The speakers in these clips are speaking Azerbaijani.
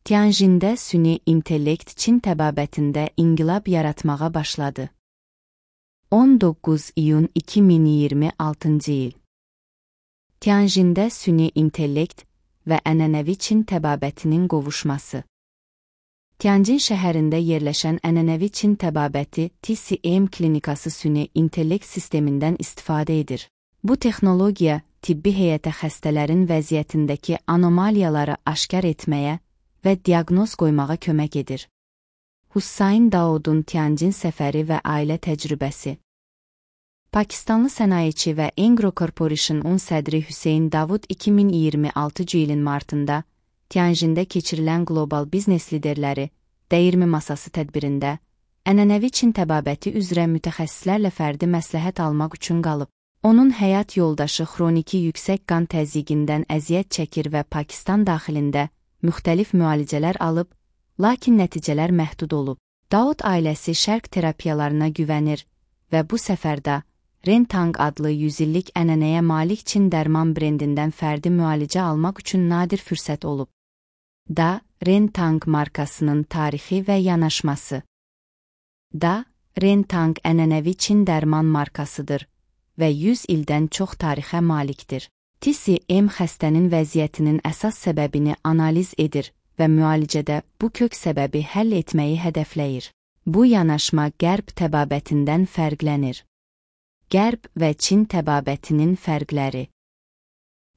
Tianjində süni intellekt Çin təbabətində inqilab yaratmağa başladı. 19 iyun 2026 il. Tianjində süni intellekt və ənənəvi Çin təbabətinin qovuşması. Tianjin şəhərində yerləşən ənənəvi Çin təbabəti TCM klinikası süni intellekt sistemindən istifadə edir. Bu texnologiya tibbi heyətə xəstələrin vəziyyətindəki anomaliyaları aşkar etməyə və diaqnoz qoymağa kömək edir. Hussain Daodun Tianjin səfəri və ailə təcrübəsi. Pakistanlı sənayeçi və Engro Corporation-un sədri Hüseyn Davud 2026 ilin martında Tianjində keçirilən qlobal biznes liderləri dəyirmi masası tədbirində ənənəvi Çin təbabəti üzrə mütəxəssislərlə fərdi məsləhət almaq üçün qalıb. Onun həyat yoldaşı xroniki yüksək qan təzyiqindən əziyyət çəkir və Pakistan daxilində müxtəlif müalicələr alıb, lakin nəticələr məhdud olub. Daud ailəsi şərq terapiyalarına güvənir və bu səfərdə Rentang adlı 100 illik ənənəyə malik Çin dərman brendindən fərdi müalicə almaq üçün nadir fürsət olub. Rentang markasının tarixi və yanaşması. Rentang ənənəvi Çin dərman markasıdır və 100 ildən çox tarixə malikdir. TCM xəstənin vəziyyətinin əsas səbəbini analiz edir və müalicədə bu kök səbəbi həll etməyi hədəfləyir. Bu yanaşma Qərb təbabətindən fərqlənir. Qərb və Çin təbabətinin fərqləri.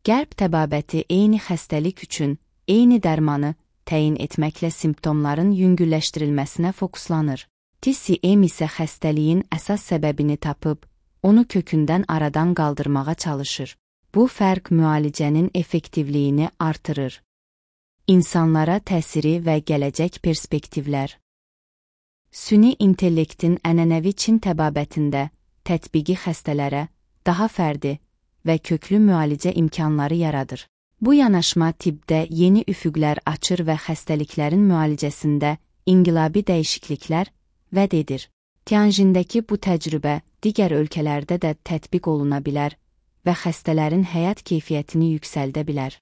Qərb təbabəti eyni xəstəlik üçün eyni dərmanı təyin etməklə simptomların yüngülləşdirilməsinə fokuslanır. TCM isə xəstəliyin əsas səbəbini tapıb, onu kökündən aradan qaldırmağa çalışır. Bu fərq müalicənin effektivliyini artırır. İnsanlara təsiri və gələcək perspektivlər. Süni intellektin ənənəvi Çin təbabətində tətbiqi xəstələrə daha fərdi və köklü müalicə imkanları yaradır. Bu yanaşma tibbdə yeni üfüqlər açır və xəstəliklərin müalicəsində inqilabi dəyişikliklər vəd edir. Tianjindəki bu təcrübə digər ölkələrdə də tətbiq oluna bilər və xəstələrin həyat keyfiyyətini yüksəldə bilər.